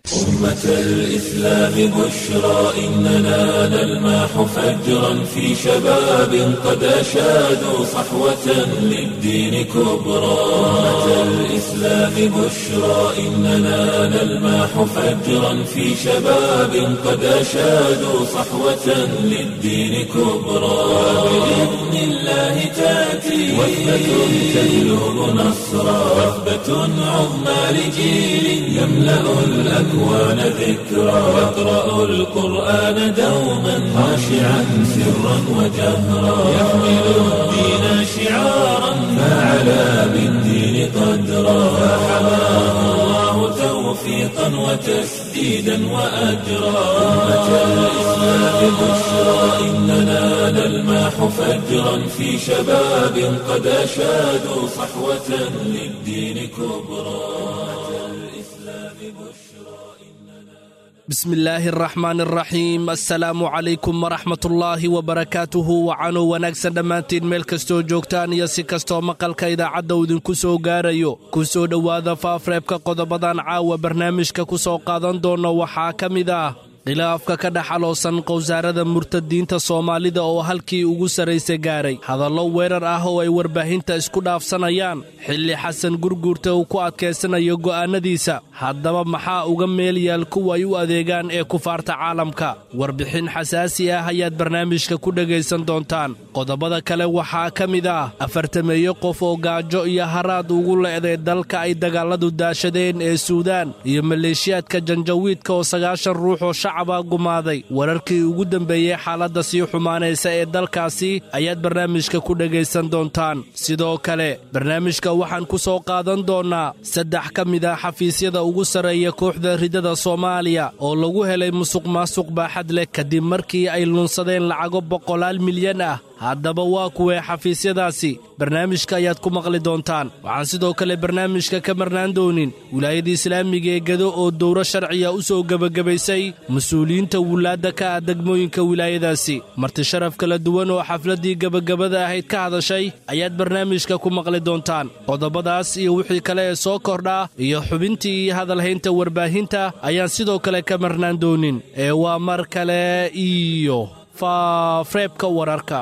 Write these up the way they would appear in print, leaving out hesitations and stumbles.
أمة الإسلام بشرى إننا نلمح فجرا في شباب قد أشادوا صحوة للدين كبرى. أمة الإسلام بشرى إننا نلمح فجرا في شباب قد أشادوا صحوة للدين كبرى. وبإذن الله تأتي وثبة تجلب نصرا، وثبة عظمى لجيل يملأ الأكوان ذكرى، يقرأ القرآن دوما خاشعا سرا وجهرا، يحمل الدين شعارا فعلى بالدين قدرا، فحماه الله توفيقا وتسديدا وأجرا. أمة الإسلام بشرى إننا نلمح فجرا في شباب قد أشادوا صحوة للدين كبرى. Bismillaahi araxmaan araxiim. Assalaamu calaykum waraxmatullaahi wabarakaatuhu. Wacanuu wanaagsan dhammaantiin meel kastoo joogtaan iyo si kastoo maqalka idaacadda uu idinku soo gaarayo. Ku soo dhowaada faafreebka qodobadan caawa barnaamijka ku soo qaadan doonno. Waxaa ka mid ah khilaafka ka dhex aloosan qowsaarada murtadiinta Soomaalida oo halkii ugu sarraysa gaaray, hadallo weerar ah oo ay warbaahinta isku dhaafsanayaan, xilli Xasan Gurguurta uu ku adkaysanayo go'aannadiisa. Haddaba maxaa uga meel yaal kuwa ay u adeegaan ee kufaarta caalamka? Warbixin xasaasi ah ayaad barnaamijka ku dhegaysan doontaan. Qodobada kale waxaa ka mid ah 40-meeyo qof oo gaajo iyo haraad ugu le'day dalka ay dagaalladu daashadeen ee Suudaan, iyo maleeshiyaadka Janjawiidka oo 90 ruux oo shacaba gumaaday. Wararkii ugu dambeeyey xaaladda sii xumaanaysa ee dalkaasi ayaad barnaamijka ku dhegaysan doontaan. Sidoo kale barnaamijka waxaan ku soo qaadan doonnaa 3 ka mid ah xafiisyada ugu sarreeya kooxda ridada Soomaaliya oo lagu helay musuq maasuq baaxad leh kadib markii ay lunsadeen lacago boqolaal milyan ah. Haddaba waa kuwee xafiisyadaasi? Barnaamijka ayaad ku maqli doontaan. Waxaan sidoo kale barnaamijka ka marnaan doonin wilaayada islaamiga ee Gado oo dowro sharciya u soo gebagabaysay mas-uuliyiinta wulaadda ka ah degmooyinka wilaayadaasi. Marti sharaf kala duwan oo xafladdii gebagabada ahayd ka hadashay ayaad barnaamijka ku maqli doontaan. Qodobadaas iyo wixii kale ee soo kordhaa iyo xubintii iyo hadalhaynta warbaahinta ayaan sidoo kale ka marnaan doonin. Ee waa mar kale iyo faafreebka wararka.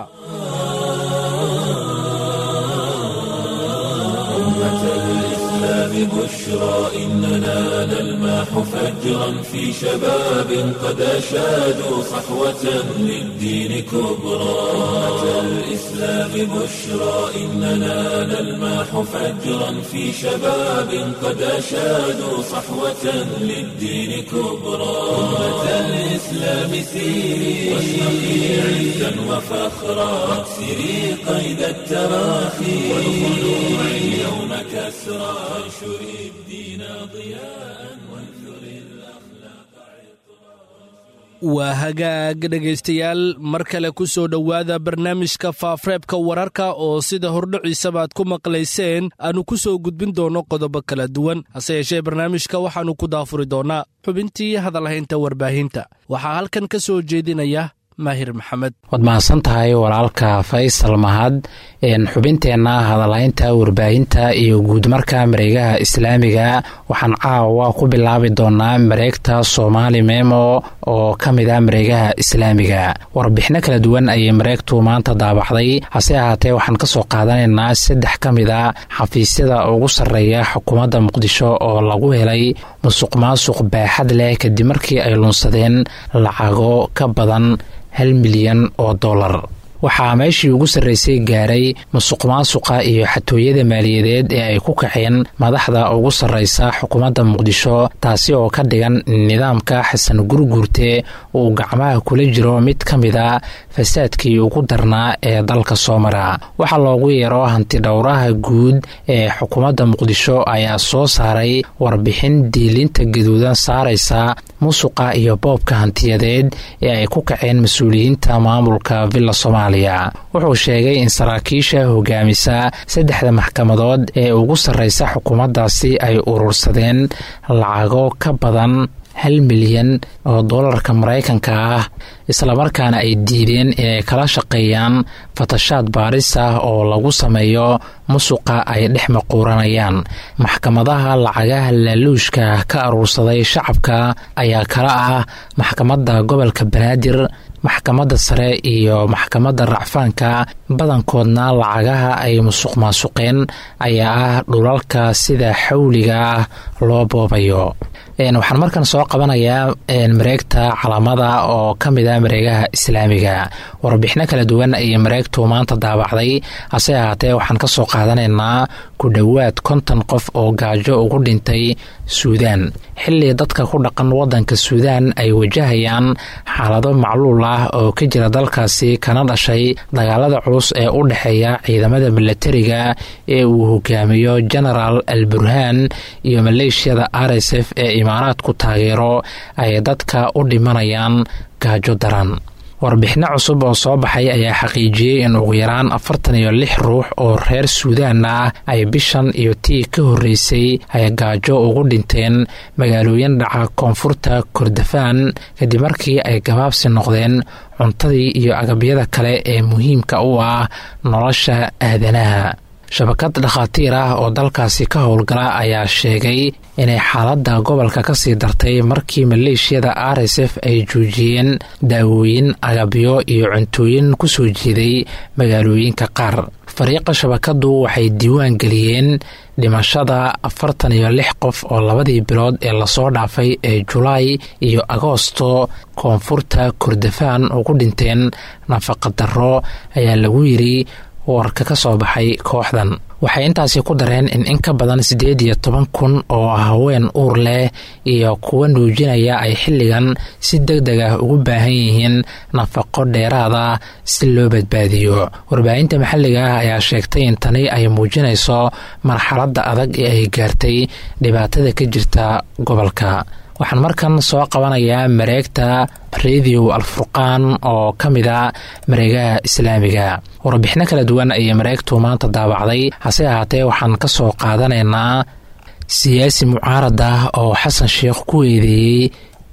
أمة الإسلام بشرى إننا نلمح فجرا في شباب قد أشادوا صحوة للدين كبرى. أمة الإسلام بشرى إننا نلمح فجرا في شباب قد أشادوا صحوة للدين كبرى. أمة الإسلام سيري واشرقي عزا وفخرا، واكسري قيد التراخي والخلوع اليوم كسرى، وانشري الدين ضياء وانثري الأخلاق عطرا. Waa hagaag dhegaystayaal, mar kale ku soo dhowaada barnaamijka faafreebka wararka oo sida hordhiciisabaad ku maqlayseen aanu ku soo gudbin doonno qodobo kala duwan. Hase yeeshee barnaamijka waxaannu ku daafuri doonnaa xubintii hadalhaynta warbaahinta. Waxaa halkan ka soo jeedinaya Maahir Maxamed. Waad mahadsan tahay walaalka Faysal Mahad. Xubinteenna hadalhaynta warbaahinta iyo guudmarka mareegaha islaamiga waxaan caawa ku bilaabi doonaa mareegta Soomaali Memo oo ka mid ah mareegaha islaamiga. Warbixino kala duwan ayay mareegtu maanta daabaxday, hase ahaatee waxaan kasoo qaadanaynaa 3 ka mid a xafiisyada ugu sarreeya xukuumadda Muqdisho oo lagu helay musuq maasuq baaxad leh kadib markii ay lunsadeen lacago ka badan 1 milyan oo dollar. Waxaa meeshii ugu sarraysay gaaray musuqmaasuqa iyo xatooyada maaliyadeed ee ay ku kaceen madaxda ugu sarraysa xukuumadda Muqdisho, taasi oo ka dhigan nidaamka Xasan Gurguurte uu gacmaha kula jiro mid ka mid a fasaadkii ugu darnaa ee dalka soo mara. Waxaa loogu yeero hanti dhowraha guud ee xukuumadda Muqdisho ayaa soo saaray warbixin diilinta gaduudan saaraysa musuqa iyo boobka hantiyadeed ee ay ku kaceen mas-uuliyiinta maamulka Villa Soomaaliya. Wuxuu sheegay in saraakiisha hogaamisa 3da maxkamadood ee ugu sarreysa xukuumaddaasi ay urursadeen lacago ka badan 1 milyan oo doolarka maraykanka ah, islamarkaana ay diideen inay kala shaqeeyaan fatashaad baaris ah oo lagu sameeyo musuqa ay dhex maquuranayaan. Maxkamadaha lacagaha laaluushka ka aruursaday shacabka ayaa kala ah maxkamadda gobolka Banaadir, maxkamadda sare iyo maxkamadda racfaanka. Badankoodna lacagaha ay musuq maasuqeen ayaa ah dhulalka sida xawliga ah loo boobayo. Waxaan markan soo qabanayaa mareegta Calaamada oo ka mid ah mareegaha islaamiga. Warbixino kala duwan ayay mareegtu maanta daabacday, hase ahaatee waxaan kasoo qaadanaynaa ku dhowaad 50 qof oo gaajo ugu dhintay Suudaan, xilli dadka ku dhaqan wadanka Suudaan ay wajahayaan xaalado macluul ah oo ka jira dalkaasi kana dhashay dagaalada culus ee u dhexeeya ciidamada milatariga ee uu hogaamiyo Genaraal Al Burhaan iyo maleeshiyada RSF ee Imaaraadku taageero, ay dadka u dhimanayaan gaajo daran. Warbixino cusub oo soo baxay ayaa xaqiijiyey in ugu yaraan 46 ruux oo reer Suudaan ah ay bishan iyo tii ka horreysay ay gaajo ugu dhinteen magaalooyin dhaca koonfurta Kordofaan, kadib markii ay gabaabsi noqdeen cuntadii iyo agabyada kale ee muhiimka u ah nolosha aadanaha. Shabakad dhakhaatiir ah oo dalkaasi ka howlgala ayaa sheegay inay xaaladda gobolka ka sii dartay markii maleeshiyada RSF ay joojiyeen daawooyin, agabyo iyo cuntooyin ku soo jeeday magaalooyinka qaar. Fariiqa shabakaddu waxay diiwaan geliyeen dhimashada 46 qof oo labadii bilood ee lasoo dhaafay ee Julaay iyo Agoosto koonfurta Kordofaan ugu dhinteen nafaqadarro, ayaa lagu yiri warka ka soo baxay kooxdan. Waxay intaasi ku dareen in in ka badan 18,000 oo haween uur leh iyo kuwa nuujinaya ay xilligan si deg deg ah ugu baahan yihiin nafaqo dheeraada si loo badbaadiyo. Warbaahinta maxalliga ah ayaa sheegtay in tani ay muujinayso marxaladda adag ee ay gaartay dhibaatada ka jirta gobolka. Waxaan markan soo qabanayaa mareegta Radio Alfurqaan oo ka mid a mareegaha islaamiga. Warbixino kala duwan ayay mareegtu maanta daabacday, hase ahaatee waxaan ka soo qaadanaynaa siyaasi mucaarad ah oo Xasan Sheekh ku eedeeyey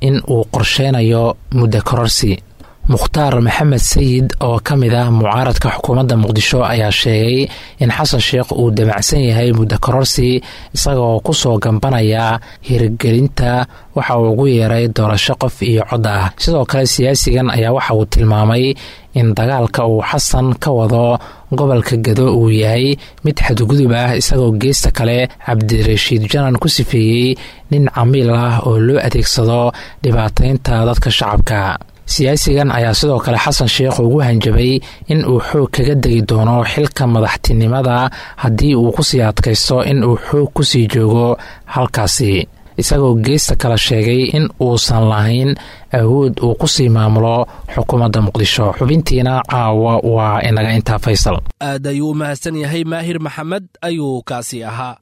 in uu qorsheynayo muddo kororsi. Mukhtaar Maxamed Sayid oo ka mid ah mucaaradka xukuumadda Muqdisho ayaa sheegay in Xasan Sheekh uu damacsan yahay muddo kororsi, isagoo kusoo gambanaya hirgelinta waxa uu ugu yeeray doorasho qof iyo cod ah. Sidoo kale siyaasigan ayaa waxa uu tilmaamay in dagaalka uu Xasan ka wado gobolka Gado uu yahay mid xadgudub ah, isagoo geesta kale Cabdirashiid Janan ku sifeeyey nin camiil ah oo loo adeegsado dhibaataynta dadka shacabka. Siyaasigan ayaa sidoo kale Xasan Sheekh ugu hanjabay in uu xoog kaga degi doono xilka madaxtinimada haddii uu kusii adkaysto in uu xoog kusii joogo halkaasi, isagoo geesta kale sheegay in uusan lahayn awood uu kusii maamulo xukuumadda Muqdisho. Xubintiina caawa waa inaga intaa, Faysal. Aad ayuu u mahadsan yahay Maahir Maxamed ayuu kaasi ahaa.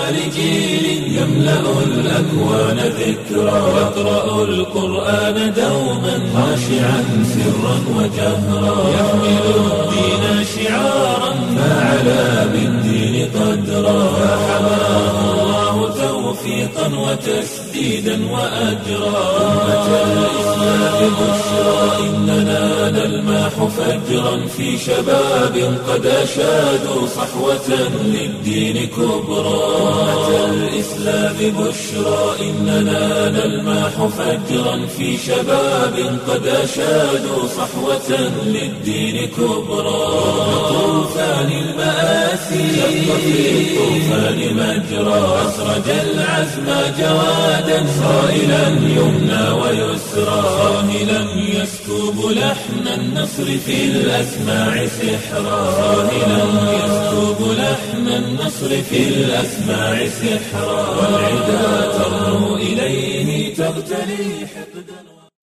لجيل يملأ الأكوان ذكرى، يقرأ القرآن دوما خاشعا سرا وجهرا، يحمل الدين شعارا فعلى بالدين قدرا، فحماه الله توفيقا وتسديدا وأجرا. أمة الإسلام بشرى إننا نلمح فجرا في شباب قد أشادوا صحوة للدين كبرى. أمة الإسلام بشرى إننا نلمح فجرا في شباب قد أشادوا صحوة للدين كبرى. طوفان المآسي شق في الطوفان مجرى، أسرج العزم جوادا صائلا يمنى ويسرى، صاهلا يسكب لحن النصر في الأسماع سحرا، صاهلا يسكب لحن النصر في الأسماع سحرا، والعدا ترنو إليه تغتلي حقدا.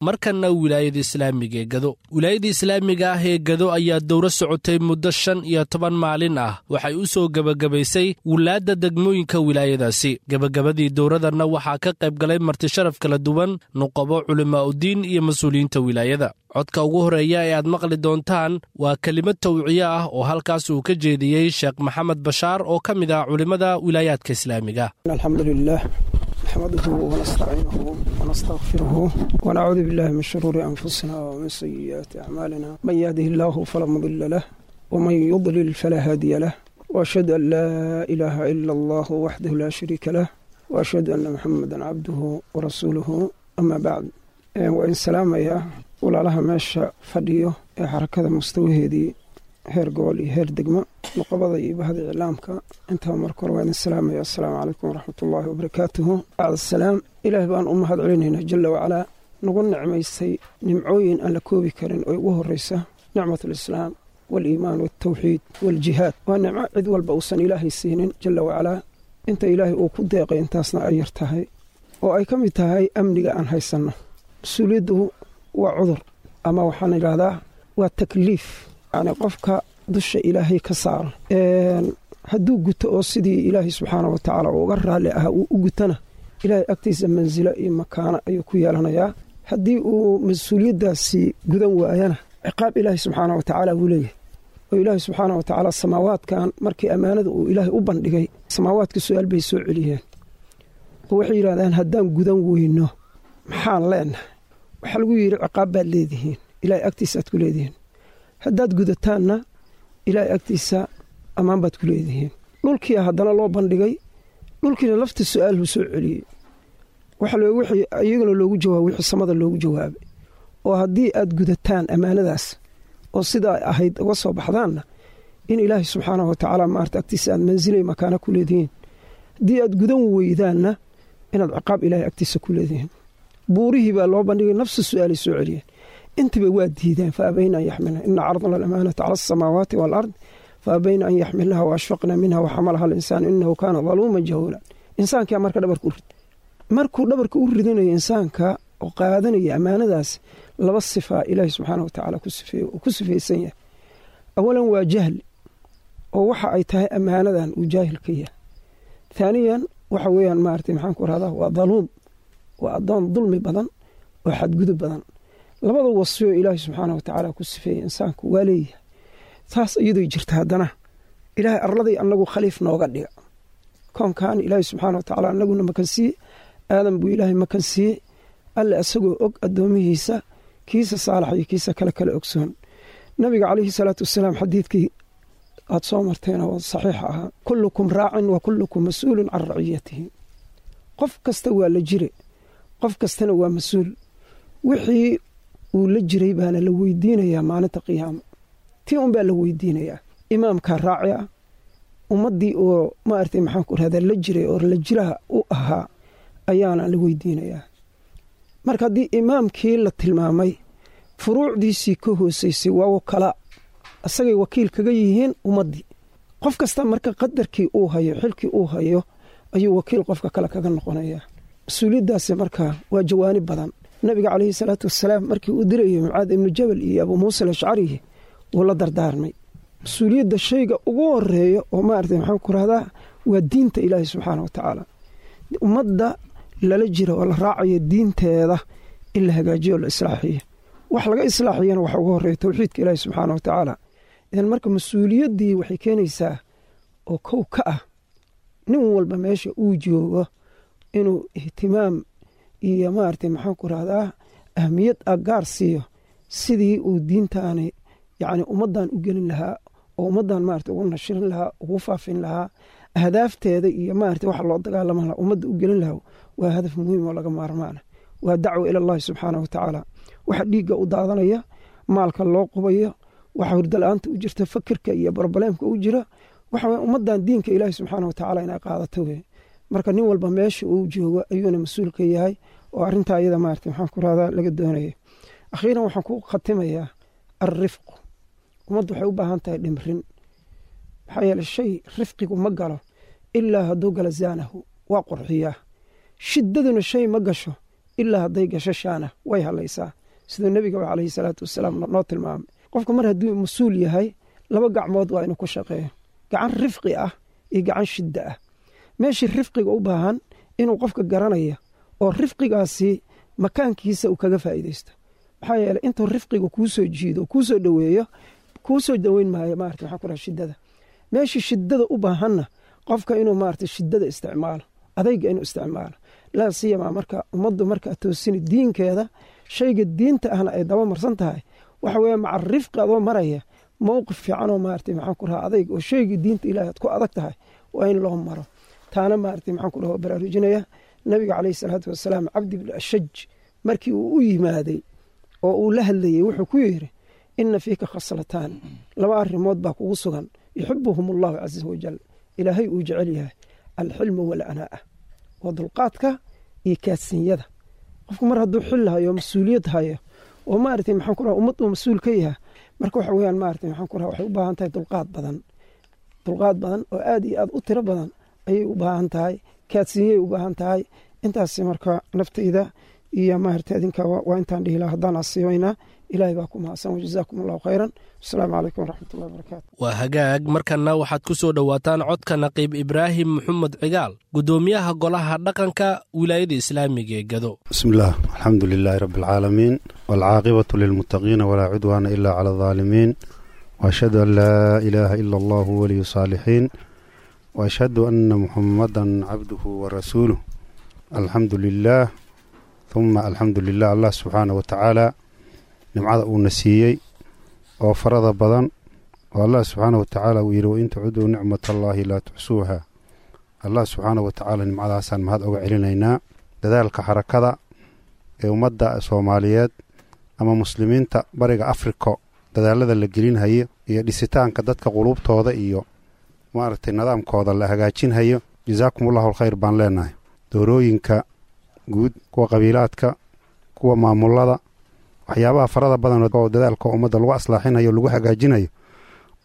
Markanna wilaayada islaamiga ee Gado. Wilaayada islaamiga ah ee Gado ayaa dowro socotay muddo 15 maalin ah waxay u soo gebagabaysay wulaadda degmooyinka wilaayadaasi. Gebagabadii dowradanna waxaa ka qayb galay martisharaf kala duwan, nuqabo, culimaa'udiin iyo mas-uuliyiinta wilaayada. Codka ugu horreeya ee aad maqli doontaan waa kelimad tawciye ah oo halkaas uu ka jeediyey Sheekh Maxamed Bashaar oo ka mid ah culimmada wilaayaadka islaamiga. Alxamdulilah. نحمده ونستعينه ونستغفره ونعوذ بالله من شرور أنفسنا ومن سيئات أعمالنا، من يهده الله فلا مضل له ومن يضلل فلا هادي له، وأشهد أن لا إله إلا الله وحده لا شريك له، وأشهد أن محمدا عبده ورسوله، أما بعد. وإن سلامaya walaalaha meesha fadhiyo ee xarakada mustawaheedii heer gobol iyo heer degmo, nuqabada iyo bahda iclaamka, intaba marka hore waa idin salaamaya. Assalaamu calaykum waraxmatullaahi wabarakaatuhu. Bacd asalaam, ilaah baan u mahad celinaynaa jala wacalaa, nagu nicmaystay nimcooyin aan la koobi karin oo ugu horreysa nicmatulislaam waaliimaan waaltawxiid waaljihaad. Waa nicmo cid walba uusan ilaahay siinin jala wacalaa, inta ilaahay uu ku deeqay intaasna ay yar tahay, oo ay ka mid tahay amniga aan haysanno. Mas-uuliyaddu waa cudur, ama waxaan idhaahdaa waa takliif, yani qofka dusha ilaahay ka saaro hadduu guto oo sidii ilaahay subxaana wa tacaala uga raalli ahaa uu u gutana, ilaahay agtiisa mansilo iyo makaano ayuu ku yeelanayaa. Haddii uu mas-uuliyaddaasi gudan waayana, ciqaab ilaahay subxaana wa tacaala wuu leeyahay. Oo ilaahay subxaana wa tacaala samaawaadkan markii ammaanada uu ilaahay u bandhigay, samaawaadka su-aal bay soo celiyeen oo waxay yidhahdeen, haddaan gudan weyno maxaan leenahay? Waxaa lagu yidhi, ciqaab baad leedihiin, ilaahay agtiisa aad ku leedihiin. Haddaad gudataanna, ilaahay agtiisa ammaan baad ku leedihiin. Dhulkiia haddana loo bandhigay, dhulkiina lafta su-aalhu soo celiyey, iyagana loogu jawaabay wixii samada loogu jawaabay, oo haddii aad gudataan ammaanadaas oo sidaa ahayd uga soo baxdaanna, in ilaahay subxaanahu wa tacaala maarata agtiisa aad mansilay makaana ku leedihiin. Haddii aad gudan weydaanna, inaad ciqaab ilaahay agtiisa ku leedihiin. Buurihii baa loo bandhigay, nafsa su-aalay soo celiyeen, intaba waa diideen. Fa abayna an yaxmilna, ina caradna alamaanata cala asamaawaati waalard fa abayna an yaxmilnaha wa ashfaqna minha wa xamalaha alinsaanu inahu kaana daluuman jahuula. Insaankaa marka dhabarka u rid, markuu dhabarka u ridanayo insaanka oo qaadanaya ammaanadaas, laba sifaa ilaahi subxaana wa tacaala uu ku sifaysan yahay. Awalan waa jahli, oo waxa ay tahay ammaanadan uu jaahil ka yahay. Thaaniyan waxa weeyaan maarata maxaan ku rahdaa, waa daluum, waa addoon dulmi badan oo xadgudub badan. Labada wasfioo ilaahay subxaana wa tacaala ku sifeeyey insaanku waa leeyahay. Taas iyadoo jirta, haddana ilaahay arladay annagu khaliif nooga dhiga. Koonkan ilaahay subxaana wa tacaala annaguna makan siiye, aadan buu ilaahay makan siiyey. Alle isagoo og addoomihiisa kiisa saalax iyo kiisa kale kale ogsoon. Nabiga calayhi salaatu wasalaam xadiidkii aad soo marteen oo saxiixa ahaa, kullukum raacin wa kullukum mas-uulun can raciyatihi, qof kasta waa la jire, qof kastana waa mas-uul, wixii uu la jiray baana la weydiinayaa maalinta qiyaamo. Tii unbaa la weydiinayaa. Imaamkaa raaci ah, ummaddii oo maaragtay maxaan ku rahdaa la jiray oo la jiraha u ahaa ayaana la weydiinayaa. Marka haddii imaamkii la tilmaamay, furuucdiisii ka hoosaysay waa wakalaa, isagay wakiil kaga yihiin ummaddii. Qof kasta marka qadarkii uu hayo, xilkii uu hayo, ayuu wakiil qofka kale kaga noqonayaa. Mas-uuliyaddaasi marka waa jawaanib badan. Nabiga calayhi salaatu wasalaam markii uu dirayay Mucaad ibnu Jabal iyo Abuu Muusa Alashcarihi, wuu la dardaarmay. Mas-uuliyadda shayga ugu horeeya oo maaragtay maxaan ku rahdaa waa diinta ilaahay subxaana wa tacaala. Ummadda lala jira oo la raacayo, diinteeda in la hagaajiyo o la islaaxiyo. Wax laga islaaxiyana waxa ugu horeeya towxiidka ilaahi subxaana wa tacaala. Idan marka mas-uuliyaddii waxay keenaysaa oo kow ka ah nin walba meesha uu joogo inuu ihtimaam iyo maaragtay maxaan ku rahdaa ahmiyad a gaar siiyo sidii uu diintaani yacni ummaddan u gelin lahaa oo ummaddan maarata ugu nashirin lahaa, ugu faafin lahaa ahdaafteeda iyo maarata waxa loo dagaalama lahaa, ummadda u gelin lahaa. Waa hadaf muhiim oo laga maarmaana, waa dacwa ila allahi subxaana wa tacaala. Waxa dhiigga u daadanaya, maalka loo qubayo, waxa hurdo la-aanta u jirta, fakirka iyo brobleemka u jira, waxa weye ummaddan diinka ilaahi subxaana wa tacaala inay qaadato weye. Marka nin walba meesha uu joogo ayuuna mas-uul ka yahay oo arrintaa iyada maarata maxaan ku rahdaa laga doonaya. Akhiiran waxaan ku khatimayaa alrifqu. Ummaddu waxay u baahan tahay dhimrin, maxaa yeele shay rifqigu ma galo, ilaa hadduu galo zaanahu, waa qurxiyaa. Shiddaduna shay ma gasho, ilaa hadday gasho shaana, way halaysaa, siduu nebigaba calayhi salaatu wasalaam noo tilmaamay. Qofka mar hadduu mas-uul yahay, laba gacmood waa inuu ku shaqeeyo, gacan rifqi ah iyo gacan shidda ah. Meeshii rifqiga u baahan inuu qofka garanaya oo rifqigaasi makaankiisa uu kaga faa'iidaysto, maxaa yeeley intuu rifqiga kuu soo jiido, kuu soo dhoweeyo, kuu soo dhoweyn maayo maarata maxaa ku raha shiddada. Meeshii shiddada u baahanna qofka inuu maarata shiddada isticmaalo, adayga inuu isticmaalo. Laa siyamaa marka ummaddu markaa toosini diinkeeda, shayga diinta ahna ay daba marsan tahay, waxa weeye maca rifqi adoo maraya mowqif fiicanoo maarata maxaan ku rahaa adayg oo shaygii diinta ilahi aad ku adag tahay waa in loo maro. Taana maarata maxaan ku dhaha baraarujinaya. Nabiga caleyhi salaatu wasalaam Cabdi bni Ashaj markii uu u yimaaday oo uu la hadlayey, wuxuu ku yidhi: "Ina fiika khaslataan", laba arrimood baa kugu sugan, "yuxibuhum allahu caza wajal", ilaahay uu jecel yahay, "alxilmu waalanaa'a", waa dulqaadka iyo kaadsinyada. Qofku mar hadduu xil hayo, mas-uuliyad hayo, oo maarata maxaan ku raha ummad uu mas-uul ka yahay, marka waxa weyaan maarata maxaan ku raha waxay u baahan tahay dulqaad badan, dulqaad badan oo aad iyo aad u tiro badan ayay u baahan tahay, kaadsinyay u baahan tahay. Intaas marka naftayda iyo maarata adinka waa intaan dhihi laha. Haddaan asiibaynaa, Ilaahay baa ku mahadsan. Wajazaakum Allahu khayran. Asalaamu calaykum waraxmatullahi wabarakaatu. Waa hagaag. Markanna waxaad ku soo dhowaataan codka Naqiib Ibraahim Maxamed Cigaal, guddoomiyaha golaha dhaqanka wilaayada islaamiga ee Gado. Bismi illah, alxamdu lilaahi rabbi alcaalamiin, waalcaaqibatu lilmuttaqiina, walaa cudwaana ila cala aldaalimiin, waashhadu an laa ilaaha ila allahu waliyu saalixiin, waashhadu anna muxamadan cabduhu warasuuluh. Alxamdu lilaah, huma alxamdu lilah. Allah subxaana wa tacaala nimcada uuna siiyey oo farada badan, oo Allah subxaana wa tacaala uu yidhi: "Wain tacuduu nicmat allaahi laa tuxsuuha". Allah subxaana wa tacaala nimcadaasaan mahad oga celinaynaa. Dadaalka xarakada ee ummadda Soomaaliyeed ama muslimiinta Bariga Afriko, dadaalada la gelinhayo iyo dhisitaanka dadka quluubtooda iyo maaragtay nidaamkooda la hagaajinhayo, jazaakum allahu alkhayr baan leenahay. Doorooyinka guud, kuwa qabiilaadka, kuwa maamulada, waxyaabaha farada badan oo dadaalka ummadda lagu aslaaxinayo, lagu hagaajinayo,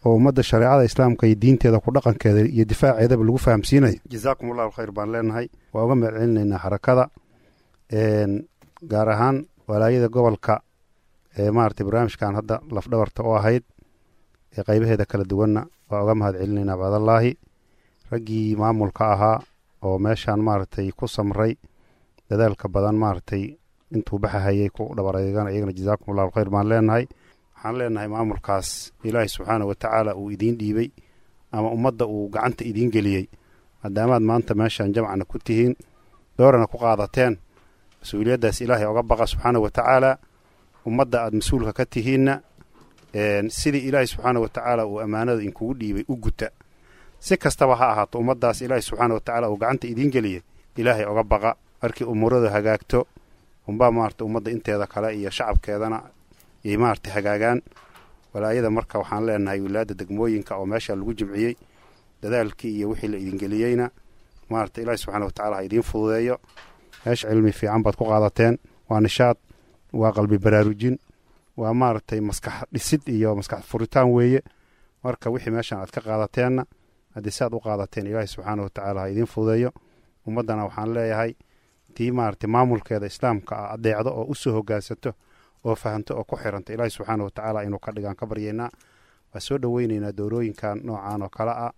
oo ummadda shareecada islaamka iyo diinteeda ku dhaqankeeda iyo difaaceedaba lagu fahamsiinayo, jazaakum allahu alkhayr baan leenahay. Waa uga mahad celinaynaa xarakada, gaar ahaan walaayada gobolka ee maaragtay barnaamijkan hadda lafdhabarta u ahayd ee qaybaheeda kala duwanna waa uga mahad celinaynaa. Bacdallaahi, raggii maamulka ahaa oo meeshaan maaragtay ku samray, dadaalka badan maaragtay intuu baxahayay ku dhabareegan, iyagana jazaakum allahu alkhayr baan leenahay. Waxaan leenahay maamulkaas Ilaahay subxaana wa tacaala uu idiin dhiibay ama ummadda uu gacanta idiin geliyey, maadaamaad maanta meeshaan jamcana ku tihiin, doorana ku qaadateen, mas-uuliyaddaas Ilaahay oga baqa subxaana wa tacaala. Ummadda aad mas-uulka ka tihiinna, sidii Ilaahay subxaana wa tacaala uu ammaanada inkugu dhiibay u guta. Si kastaba ha ahaato, ummaddaas Ilaahay subxaana wa tacaala uu gacanta idiin geliyey Ilaahay oga baqa. Markii umuuradu hagaagto unbaa maarata ummadda inteeda kale iyo shacabkeedana yay maarata hagaagaan. Walaayada marka waxaan leenahay, wilaayadda degmooyinka oo meesha lagu jimciyey, dadaalkii iyo wixii la idingeliyeyna maarata Ilaahi subxaana wa tacala ha idiin fududeeyo. Meesha cilmi fiican baad ku qaadateen. Waa nishaad, waa qalbi baraarujin, waa maaragtay maskax dhisid iyo maskax furitaan weeye. Marka wixii meeshan aad ka qaadateenna, haddii si aad u qaadateen, Ilaahi subxaana wa tacaala ha idiin fududeeyo. Ummaddana waxaan leeyahay, tii maaragtay maamulkeeda islaamka ah adeecdo oo u soo hogaansato oo fahanto oo ku xiranta, Ilaahi subxaana wa tacaala inuu ka dhigaan ka baryaynaa. Waa soo dhoweynaynaa doorooyinkan noocan oo kale ah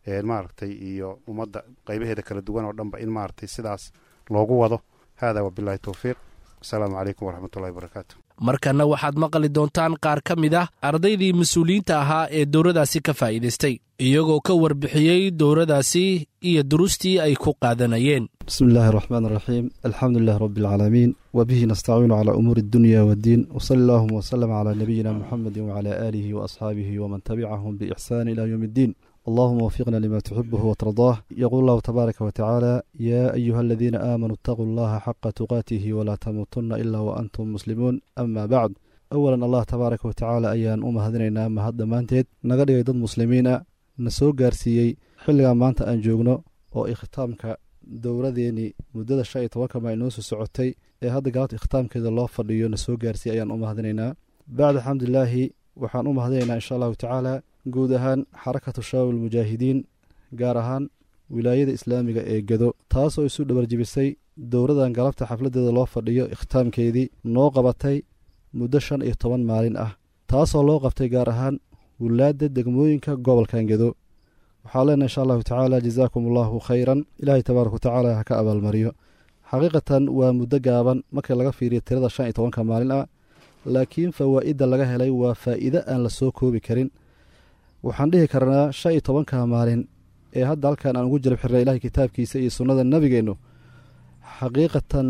ee maaragtay iyo ummadda qaybaheeda kala duwan oo dhanba in maaragtay sidaas loogu wado. Hada wabillahi towfiiq. Asalaamu calaykum waraxmatullahi wabarakaatu. Markanna waxaad maqli doontaan qaar ka mid ah ardaydii mas-uuliyiinta ahaa ee dowradaasi ka faa'iidaystay, iyagoo ka warbixiyey dowradaasi iyo duruustii ay ku qaadanayeen. Bismi illaahi araxmaan araxiim. Alxamdu lilah rabbi alcaalamiin, wabihi nastaciinu calaa umuuri addunya waddiin, wsali allahuma wslm calaa nabiyina muxamedi wcalaa aalihi waasxaabihi waman tabicahum biixsaan ila yowm iddiin. Allahuma wafiqna lima tuxibuhu watardaah. Yaquul allahu tabaaraka watacaala: "Yaa ayuha aladiina aamanuu itaquu allaha xaqa tuqaatihi walaa tamuutunna ilaa waantum muslimuun". Ama bacd, awalan Allah tabaaraka watacaala ayaan u mahadinaynaa mahad dhammaanteed, naga dhigay dad muslimiin ah, na soo gaarsiiyey xilligan maanta aan joogno oo ikhtaamka dowladeennii muddada 15-ka maa inoo soo socotay ee hadda galabta ikhtaamkeeda loo fadhiyo na soo gaarsiiyey ayaan u mahadinaynaa. Bacda alxamdulilaahi, waxaan u mahadinaynaa insha allahu tacaala guud ahaan Xarakatu Shabaab Almujaahidiin, gaar ahaan Wilaayada Islaamiga ee Gado, taasoo isu dhabarjibisay dowladan galabta xafladeeda loo fadhiyo ikhtaamkeedii noo qabatay muddo 15 maalin ah, taasoo loo qabtay gaar ahaan wulaadda degmooyinka gobolkan Gedo. Waxaa leenahay insha allahu tacaala jazaakum allahu khayran, Ilaahay tabaaraka watacaala ha ka abaalmariyo. Xaqiiqatan waa muddo gaaban marka laga fiiriyo tirada 15-ka maalin ah, laakiin fawaa'idda laga helay waa faa'iide aan la soo koobi karin. Waxaan dhihi karnaa 15-ka maalin ee hadda halkan aan ugu jarab xirnay Ilahay kitaabkiisa iyo sunnada nabigeennu, Xaqiiqatan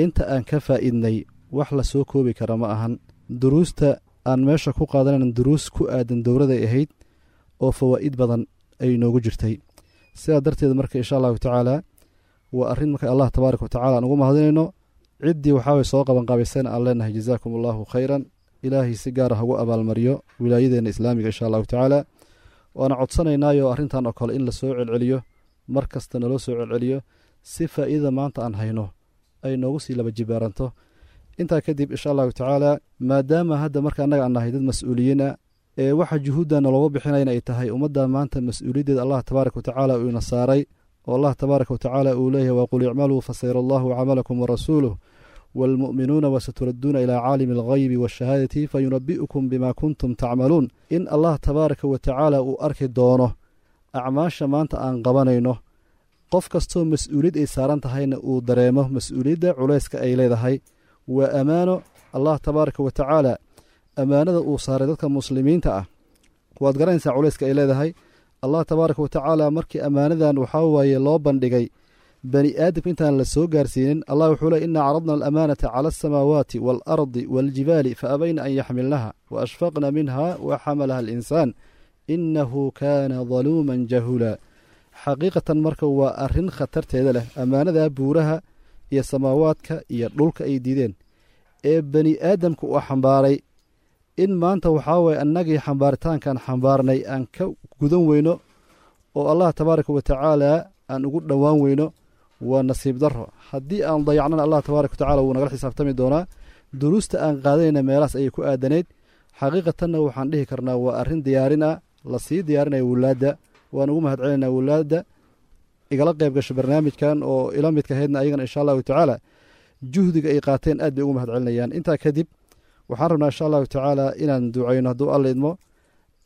inta aan ka faa'iidnay wax la soo koobi kara ma ahan. Duruusta aan meesha ku qaadanayn duruus ku aadan dowladay ahayd oo fawaa'id badan ay noogu jirtay. Sidaa darteed marka insha allahu tacaala waa arrin marka Allah tabaaraka watacaala aan ugu mahadinayno. Ciddii waxaaway soo qabanqaabaysayna aan leenahay jazaakum allahu khayran, ilaahay si gaara hagu abaalmariyo wilaayadeenna islaamiga insha allahu tacaala. Waana codsanaynaayo arrintan oo kale in la soo celceliyo, mar kasta naloo soo celceliyo, si faa'iidada maanta aan hayno ay noogu sii laba jibaaranto. Intaa kadib insha allahu tacaala, maadaama hadda marka annaga aan nahay dad mas-uuliyiina ee waxa juhuudda nalooga bixinayna ay tahay ummadda maanta mas-uuliyaddeeda Allah tabaaraka watacaala uu ina saaray, oo Allah tabaaraka watacaala uu leeyahay waqul icmaluu fasayara allahu camalakum warasuuluh waalmu'minuuna wasaturadduuna ilaa caalimi alghaybi waashahaadati fayunabi'ukum bima kuntum tacmaluun. In Allah tabaaraka watacaala uu arki doono acmaasha maanta aan qabanayno, qof kastoo mas-uuliyad ay saaran tahayna uu dareemo mas-uuliyadda culayska ay leedahay. Waa ammaano Allah tabaaraka watacaala ammaanada uu saaray dadka muslimiinta ah, waad garanaysaa culayska ay leedahay. Allah tabaaraka watacaala markii ammaanadan waxaa waaye loo bandhigay bani aadamka intaan la soo gaarsiinin, allah wuxuu ley innaa caradna alamaanata cala alsamaawaati waalardi waaljibaali fa abayna an yaxmilnaha wa ashfaqna minha wa xamalaha alinsaan innahu kaana daluuman jahuula. Xaqiiqatan marka waa arrin khatarteeda leh, ammaanada buuraha iyo samaawaadka iyo dhulka ay diideen ee bani aadamka uu xambaaray, in maanta waxaa waye annagii xambaaritaankaan xambaarnay aan ka gudan weyno oo Allah tabaaraka watacaala aan ugu dhowaan weyno waa nasiib darro. Haddii aan dayacnana Allah tabaaraka watacala wuu nagala xisaabtami doonaa. Duruusta aan qaadanayna meelahaas ayay ku aadanayd. Xaqiiqatanna waxaan dhihi karnaa waa arrin diyaarin ah, lasii diyaarinaya wulaadda. Waan ugu mahad celinaynaa wulaadda igala qayb gasho barnaamijkan oo ila midka ahaydna, ayagana insha allahu tacaala juhdiga ay qaateen aad bay ugu mahad celinayaan. Intaa kadib waxaan rabnaa insha allahu tacaala inaan ducayno hadduu Alla idmo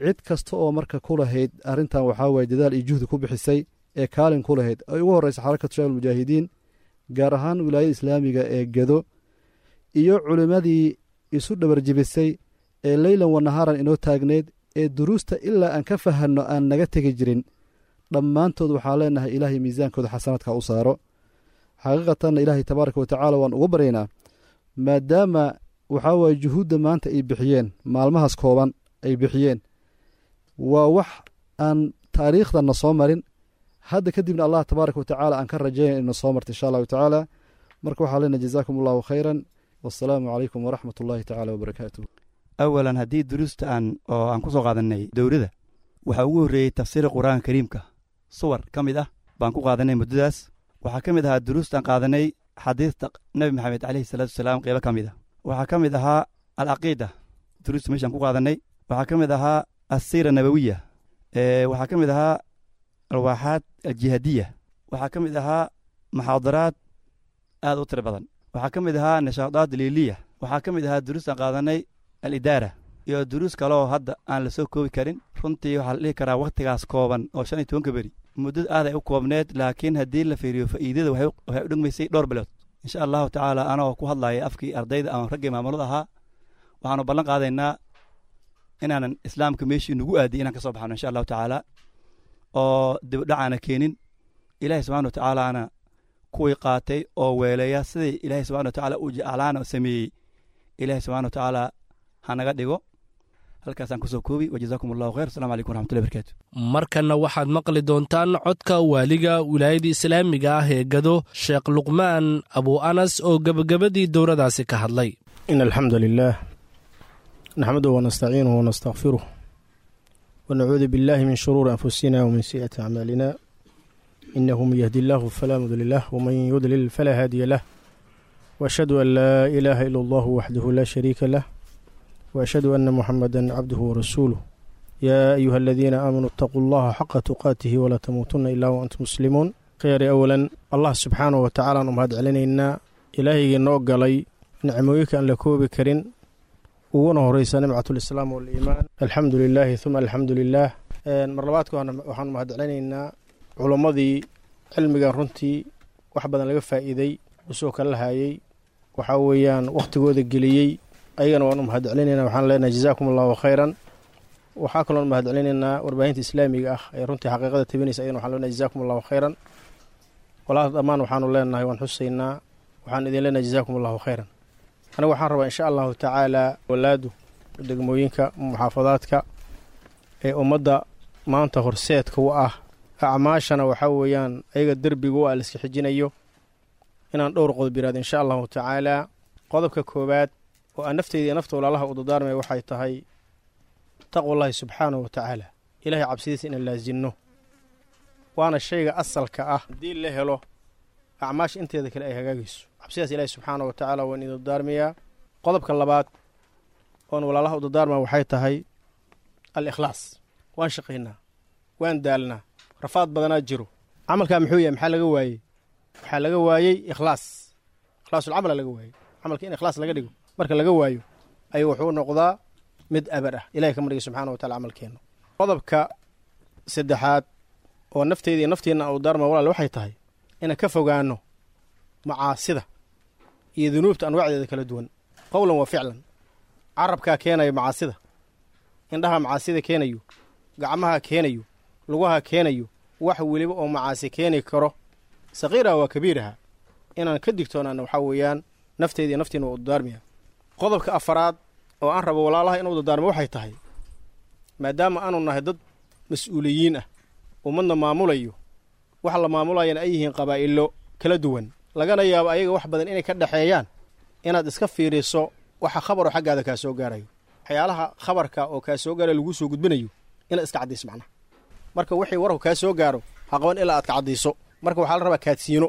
cid kasta oo marka ku lahayd arrintan waxaa waye dadaal iyo juhdi ku bixisay ee kaalin ku lahayd, ay ugu horreysa Xarakatu Shabaab Almujaahidiin, gaar ahaan wilaayada islaamiga ee Gedo, iyo culimmadii isu dhabarjibisay ee leylan wanahaaran inoo taagneyd ee duruusta ilaa aan ka fahanno aan naga tegi jirin. Dhammaantood waxaan leenahay ilaahay miisaankooda xasanaadka u saaro. Xaqiiqatanna ilaahay tabaaraka watacaala waan ugu baryaynaa, maadaama waxaa waaye juhuudda maanta ay bixiyeen maalmahaas kooban ay bixiyeen waa wax aan taariikhdanna soo marin, hadda kadibna Allah tabaaraka watacaala aan ka rajaynaya inna soo marta insha allahu tacaala. Marka waxaa leenahay jazaakum allahu khayran, wassalaamu calaykum waraxmat ullahi tacaala wabarakaatuh. Awalan haddii duruusta aan oo aan ku soo qaadanay dowladda, waxaa ugu horreeyey tafsiira Qur-aanka Kariimka, suwar ka mid ah baan ku qaadanay muddadaas. Waxaa ka mid ahaa duruusta aan qaadanay xadiista Nebi Maxamed caleyhi salaatu wasalaam qeybo ka mid ah. Waxaa ka mid ahaa alcaqiida duruusta meeshaan ku qaadanay. Waxaa ka mid ahaa assiira nabawiya. Waxaa ka mid ahaa alwaaxaad aljihaadiya. Waxaa ka mid ahaa muxaadaraad aad u tiro badan. Waxaa ka mid ahaa nishaadaad liiliya. Waxaa ka mid ahaa duruustaan qaadanay alidaara iyo duruus kaleoo hadda aan la soo koobi karin. Runtii waxaa la dhihi karaa wakhtigaas kooban oo 15-ka beri muddada aad ay u koobneed, laakiin haddii la fiiriyo faa'iidada waxay u dhigmaysay dhowr bilood insha allahu tacaala. Anoo ku hadlaya afkii ardayda ama raggii maamulada ahaa, waxaanu ballan qaadaynaa inaanan islaamka meeshii nagu aadiy inaan ka soo baxno insha allahu tacaala, oo dibdhacaana keenin. Ilaahay subxana watacaalaana kuwii qaatay oo weeleeya sidai Ilaahay subxana watacaala u jeclaana sameeyey, Ilaahay subxana watacaala ha naga dhigo. Halkaasaan kusoo koobi, wajazaakum allahu khayr. Assalamu calaykum waraxmatullahi barakaatu. Markanna waxaad maqli doontaan codka waaliga wilaayada islaamiga ah ee Gado, Sheekh Luqmaan Abu Anas, oo gebagabadii dowladaasi ka hadlay. In alxamdu lilah naxmaduhu wanastaciinuhu wanastakfiruh wanacuudu billahi min shuruuri anfusina wmin sayi'aati acmaalina, inahu man yahdi illahu falaa mudli lah waman yudlil falaa haadiya lah, waashhadu an laa ilaaha ila allahu waxdahu laa shariika lah, وأشهد أن محمدا عبده ورسوله. يا أيها الذين آمنوا اتقوا الله حق تقاته ولا تموتن إلا وأنتم مسلمون. خير أولا الله سبحانه وتعالى نمهد علينا إلهي نوغلي نعمويك أن لكوبي كرين uguna horeysa nimcat lislaam waliimaan. Alxamdu lilaahi uma alxamdu lilaah. Mar labaadka waxaanu mahadcelinaynaa culummadii cilmigan runtii wax badan laga faa'iiday usoo kala hayay, waxaa weeyaan wakhtigooda geliyey, ayagana waanu mahadcelinaynaa. Waxaan leenahay jazaakum allahu khayran. Waxaa kaloon mahadcelinaynaa warbaahinta islaamiga ah ee runtii xaqiiqada tabinaysa, ayagana waxaan leenahay jazaakum allahu khayran. Walaal dhammaan waxaanu leenahay waan xusaynaa, waxaan idin leenahay jazaakum allahu khayran. Anigu waxaan rabaa insha allahu tacaala walaadu degmooyinka muxaafadaadka ee ummadda maanta horseedka u ah acmaashana waxaa weeyaan ayaga derbiga u ah laiska xijinayo inaan dhowr qodob yiraahdo insha allahu tacaala. Qodobka koowaad oo aan nafteyda iyo nafta walaalaha u dardaarmaya waxay tahay taqwallahi subxaanahu wa tacaala, ilaahay cabsidiisa inaan laasinno, waana shayga asalka ah. Haddii la helo acmaasha inteeda kale ay hagaagayso. Cabsidaas ilaahay subxaanahu wa tacaala waan idin dardaarmayaa. Qodobka labaad oon walaalaha u dardaarmaya waxay tahay al ikhlaas. Waan shaqaynaa, waan daalnaa, rafaad badanaa jiro. Camalkaa muxuu yahay? Maxaa laga waayey? Waxaa laga waayey ikhlaas, ikhlaasulcamala laga waayey. Camalka in ikhlaas laga dhigo marka laga waayo ayuu wuxuu noqdaa mid abar ah. Ilahay kama dhigay subxana wa tacala camalkeenna. Qodobka saddexaad oo nafteyda iyo nafteenna u daarma walaal waxay tahay inaan ka fogaano macaasida iyo dunuubta anwaacdeeda kala duwan, qowlan wa ficlan. Carabkaa keenayo macaasida, indhaha macaasida keenayo, gacmaha keenayo, lugaha keenayo, wax weliba oo macaasi keeni karo, saqiiraha waa kabiiraha, inaan ka digtoonaano waxaa weeyaan nafteyda iyo naftiina waa u dardaarmaya. Qodobka afaraad oo aan rabo walaalaha inuu dardaarmo waxay tahay maadaama aanu nahay dad mas-uuliyiin ah, ummadna maamulayo, waxa la maamulayana ay yihiin qabaa'ilo kala duwan, lagana yaabo ayaga wax badan inay ka dhexeeyaan, inaad iska fiiriso waxa khabaroo xaggaada kaa soo gaarayo, waxyaalaha khabarka oo kaa soo gaarayo laguu soo gudbinayo inaad iska caddayso macnaha. Marka wixii warku kaa soo gaaro ha qaban ilaa aad ka caddayso. Marka waxaa la rabaa kaadsiino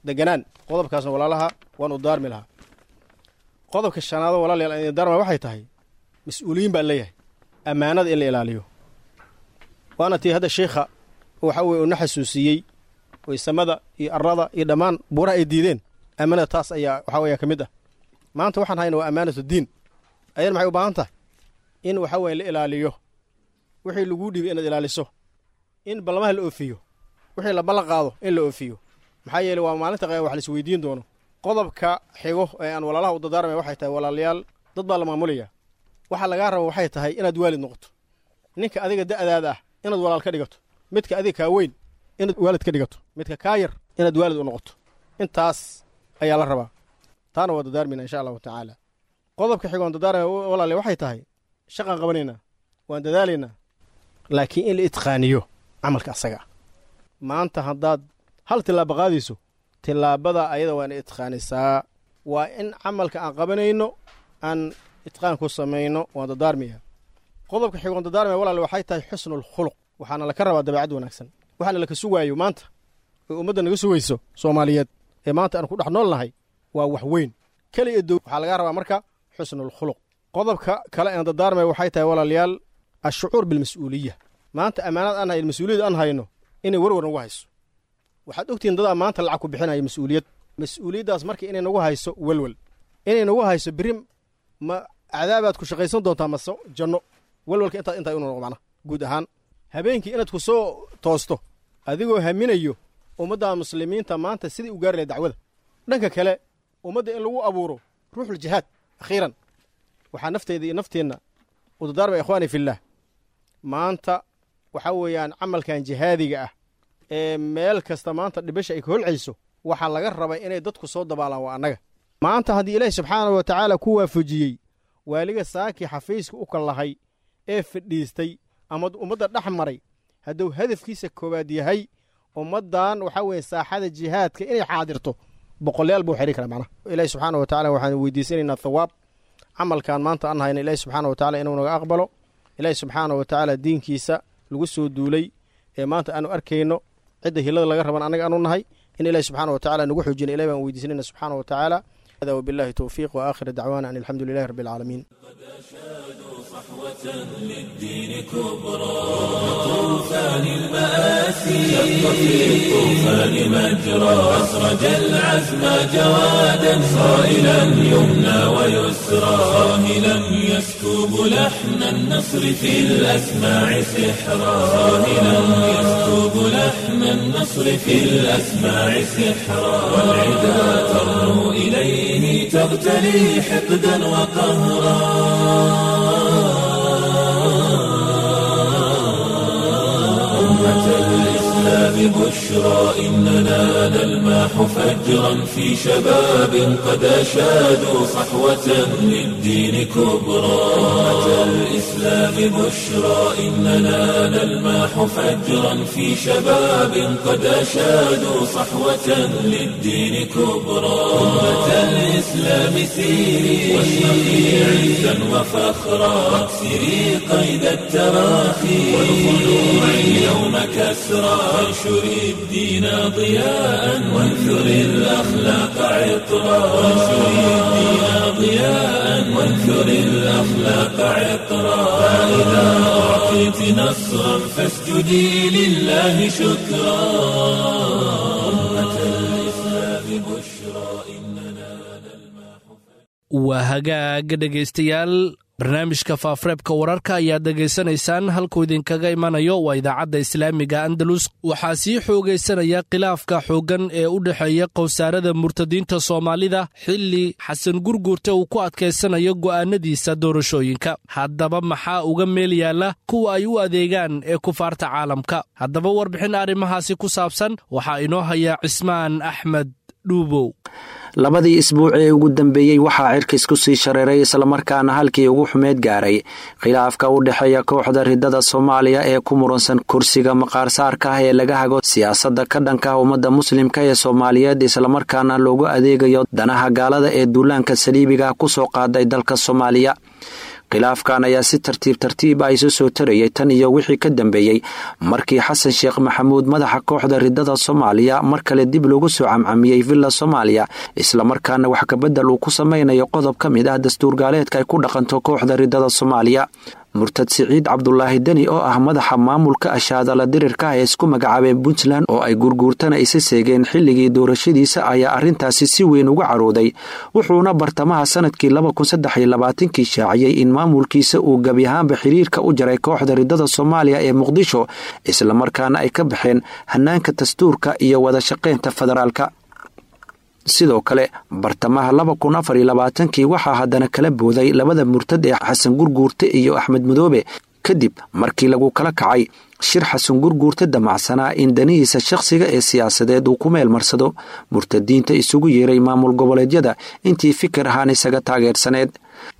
deganaan. Qodobkaasna walaalaha waan u daarmi lahaa. Qodobka shanaado walaalayaal aan idin daarmaya waxay tahay mas-uuliyiin baan leeyahay, ammaanada in la ilaaliyo. Waana tii hadda sheikha waxa weye uuna xasuusiyey waysamada iyo arlada iyo dhammaan buuraha ay diideen. Ammaanada taas ayaa waxaa weya ka mid ah. Maanta waxaan hayna waa ammaanatu diin. Ayana maxay u baahan tahay? In waxa weye la ilaaliyo wixii laguu dhiibay, inaad ilaaliso, in ballamaha la oofiyo, wixii la ballan qaado in la oofiyo. Maxaa yeeley waa maalinta qiyama wax la isweydiin doono. Qodobka xigo ee aan walaalaha u dardaarmaya waxay tahay walaalayaal, dad baa la maamulaya. Waxa lagaa raba waxay tahay inaad waalid noqoto. Ninka adiga da'daada ah inaad walaal ka dhigato, midka adiga kaa weyn inaad waalid ka dhigato, midka kaa yar inaad waalid u noqoto. Intaas ayaa la rabaa, taana waa dardaarmayna insha allahu tacaala. Qodobka xigoon dardaarmaya walaale waxay tahay shaqaan qabanaynaa, waan dadaalaynaa, laakiin in la itqaaniyo camalka asaga ah. Maanta haddaad hal tillaabo qaadayso, tillaabada ayada waa ina itqaanisaa. Waa in camalka aan qabanayno aan itqaan ku samayno. Waan dardaarmaya. Qodobka xigoon dardaarmaya walaale waxay tahay xusnulkhuluq. Waxaana laka rabaa dabeecad wanaagsan. Waxaana laka sugaayo maanta oo ummadda naga sugayso Soomaaliyeed ee maanta aan ku dhex nool nahay waa wax weyn keliya dow. Waxaa lagaa rabaa marka xusnulkhuluq. Qodobka kale aan dardaarmaya waxay tahay walaalayaal ashucuur bilmas-uuliya. Maanta ammaanad aan hayno, mas-uuliyad aan hayno, inay warwar nagu hayso. Waxaad ogtihiin dadaa maanta lacag ku bixinaya mas-uuliyad. Mas-uuliyaddaas marka inay nagu hayso welwel, inay nagu hayso berri ma cadaabaad ku shaqaysan doontaa mase janno. Welwelka intaa intaa inuu noqo macnaha guud ahaan habeenkii inaad ku soo toosto adigoo haminayo ummadda muslimiinta maanta sidai u gaari lahayd dacwada. Dhanka kale ummadda in lagu abuuro ruuxul jihaad. Akhiiran waxaa nafteyda iyo nafteenna u dardaarmaya ikhwaani fillaah, maanta waxaa weeyaan camalkan jihaadiga ah ee meel kasta maanta dhibasha ay ka holcayso, waxaa laga rabay inay dadku soo dabaalaan waa annaga. Maanta haddii ilaahi subxaanahu wa tacaala ku waafajiyey waaliga saakii xafiiska u kallahay ee fadhiistay ama ummadda dhex maray, hadduu hadafkiisa koowaad yahay ummaddan waxaa weeye saaxada jihaadka inay xaadirto, boqolayaal buu xiri karaa macnaha. Ilaahi subxaana wa tacala waxaan weydiisanaynaa thawaab camalkan maanta aan hayna, ilaahi subxaana wa tacala inuu naga aqbalo. Ilaahi subxaana wa tacaala diinkiisa lagu soo duulay ee maanta aanu arkayno, cidda hilada laga raban annaga aanu nahay, in ilahi subxaana wa tacala nagu xoojina ilahi baan weydiisanayna subxaana wa tacaala. هذا وبالله توفيق، وآخر دعوانا أن الحمد لله رب العالمين. للدين كبرى طوفان المآسي شق في الطوفان مجرى أسرج العزم جوادا صائلا يمنى ويسرى صاهلا يسكب لحن النصر في الأسماع سحرا صاهلا يسكب لحن النصر في الأسماع سحرا والعدا ترنو إليه تغتلي حقدا وقهرا. أمة الإسلام الإسلام بشرى إننا نلمح فجرا في شباب قد أشادوا صحوة للدين كبرى. أمة الإسلام بشرى إننا نلمح فجرا في شباب قد أشادوا صحوة للدين كبرى. أمة الإسلام سيري واشرقي عزا وفخرا واكسري قيد التراخي والخلوع اليوم كسرى وانشري الدين ضياء وانثري الأخلاق عطرا وانشري الدين ضياء وانثري الأخلاق عطرا. فإذا أعطيت نصرا فاسجدي لله شكرا. أمة الإسلام بشرى إننا نلمح. Waa hagaag dhegaystayaal, barnaamijka faafareebka wararka ayaad dhegaysanaysaan, halkuu idinkaga imanayo waa idaacadda islaamiga Andalus. Waxaa sii xoogaysanaya khilaafka xooggan ee u dhexeeya qowsaarada murtadiinta Soomaalida, xilli Xasan Gurguurte uu ku adkaysanayo go'aanadiisa doorashooyinka. Haddaba maxaa uga meel yaalla kuwa ay u adeegaan ee kufaarta caalamka? Haddaba warbixin arrimahaasi ku saabsan waxaa inoo haya Cismaan Axmed Dhuubow. Labadii isbuuc ee ugu dambeeyey waxaa cirkis ku sii shareeray, islamarkaana halkii ugu xumeed gaaray, khilaafka u dhexeeya kooxda ridada Soomaaliya ee ku muransan kursiga maqaarsaarka ah ee laga hago siyaasadda ka dhanka ah ummadda muslimka ee Soomaaliyeed, islamarkaana loogu adeegayo danaha gaalada ee duulaanka saliibiga kusoo qaaday dalka Soomaaliya. Khilaafkan ayaa si tartiib tartiib ah isu soo tarayay tan iyo wixii ka dambeeyey markii Xasan Sheekh Maxamuud, madaxa kooxda ridada Soomaaliya, mar kale dib loogu soo camcamiyey Villa Soomaaliya, islamarkaana wax kabedel uu ku sameynayo qodob ka mid ah dastuur gaaleedka ay ku dhaqanto kooxda ridada Soomaaliya. Murtad Siciid Cabdulaahi Deni oo ah madaxa maamulka ashaadala dirirka ah ee isku magacaabeen Puntland oo ay Gurguurtana isa seegeen xilligii doorashadiisa ayaa arrintaasi si weyn uga carooday, wuxuuna bartamaha sanadkii 2023kii shaaciyey in maamulkiisa uu gebi ahaanba xiriirka u jaray kooxda ridada Soomaaliya ee Muqdisho, islamarkaana ay ka baxeen hanaanka dastuurka iyo wada shaqaynta federaalka. Sidoo kale bartamaha 2024kii waxaa haddana kala booday labada murtad ee Xasan Gurguurte iyo Axmed Madoobe, kadib markii lagu kala kacay shir Xasan Gurguurte damacsanaa in danihiisa shakhsiga ee siyaasadeed uu ku meel marsado murtadiinta isugu yeeray maamul goboleedyada intii fikir ahaan isaga taageersaneed.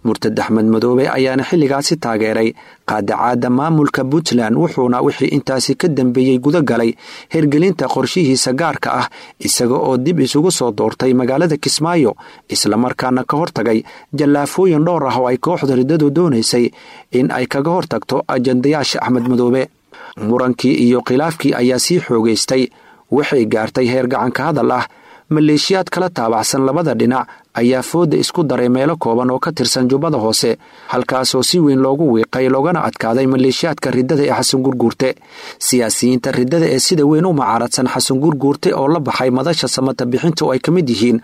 Murtad Axmed Madoobe ayaana xilligaasi taageeray qaadacaadda maamulka Puntland, wuxuuna wixii intaasi ka dambeeyey guda galay hergelinta qorshihiisa gaarka ah, isaga oo dib isugu soo doortay magaalada Kismaayo, islamarkaana ka hortagay jallaafooyin dhowr ah oo ay kooxda riddadu doonaysay in ay kaga hortagto ajandayaasha Axmed Madoobe. Murankii iyo khilaafkii ayaa sii xoogaystay, waxay gaartay heer gacanka hadal ah. Maleeshiyaad kala taabacsan labada dhinac ayaa fooda isku daray meelo kooban oo ka tirsan Jubbada Hoose, halkaasoo si weyn loogu wiiqay loogana adkaaday maleeshiyaadka riddada ee Xasan Gurguurte. Siyaasiyiinta riddada ee sida weyn u mucaaradsan Xasan Gurguurte oo la baxay Madasha Samata Bixinta, oo ay ka mid yihiin